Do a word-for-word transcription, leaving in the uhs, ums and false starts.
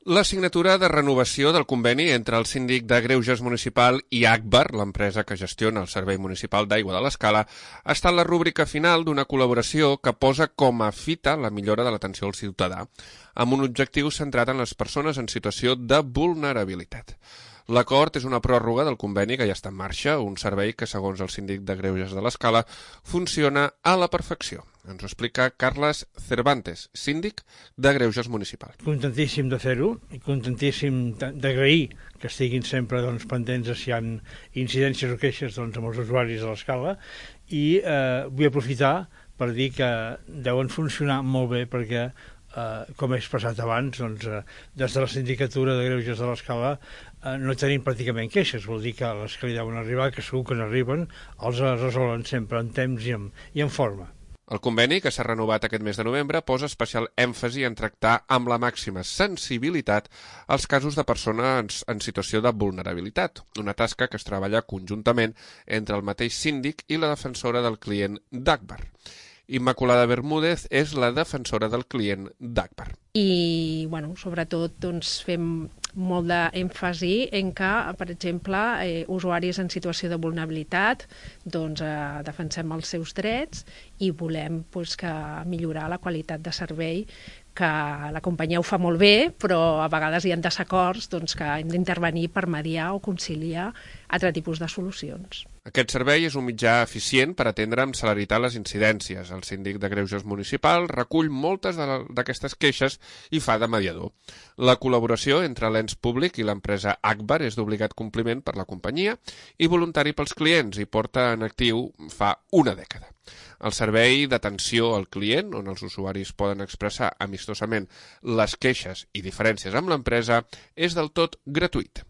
La signatura de renovació del conveni entre el síndic de Greuges municipal i Agbar, l'empresa que gestiona el Servei Municipal d'Aigua de l'Escala, ha estat la rúbrica final d'una col·laboració que posa com a fita la millora de l'atenció al ciutadà, amb un objectiu centrat en les persones en situació de vulnerabilitat. L'acord és una pròrroga del conveni que ja està en marxa, un servei que, segons el síndic de Greuges de l'Escala, funciona a la perfecció. Ens ho explica Carles Cervantes, síndic de Greuges municipal. Contentíssim de fer-ho i contentíssim d'agrair que estiguin sempre doncs, pendents si hi ha incidències o queixes doncs, amb els usuaris de l'Escala i eh, vull aprofitar per dir que deuen funcionar molt bé perquè Uh, com he expressat abans, doncs, uh, des de la sindicatura de Greuges de l'Escala uh, no tenim pràcticament queixes, vol dir que les que li deuen arribar, que segur que n'arriben, els resolen sempre en temps i en, i en forma. El conveni, que s'ha renovat aquest mes de novembre, posa especial èmfasi en tractar amb la màxima sensibilitat els casos de persones en situació de vulnerabilitat, una tasca que es treballa conjuntament entre el mateix síndic i la defensora del client d'Agbar. Immaculada Bermúdez és la defensora del client d'Agbar. I, bueno, sobretot, doncs, fem molt d'èmfasi en que, per exemple, eh, usuaris en situació de vulnerabilitat, doncs, eh, defensem els seus drets i volem doncs, que millorar la qualitat de servei, que la companyia ho fa molt bé, però a vegades hi ha desacords doncs, que hem d'intervenir per mediar o conciliar altre tipus de solucions. Aquest servei és un mitjà eficient per atendre amb celeritat les incidències. El síndic de Greuges municipal recull moltes d'aquestes queixes i fa de mediador. La col·laboració entre l'ens públic i l'empresa Agbar és d'obligat compliment per la companyia i voluntari pels clients i porta en actiu fa una dècada. El servei d'atenció al client, on els usuaris poden expressar amistosament les queixes i diferències amb l'empresa, és del tot gratuït.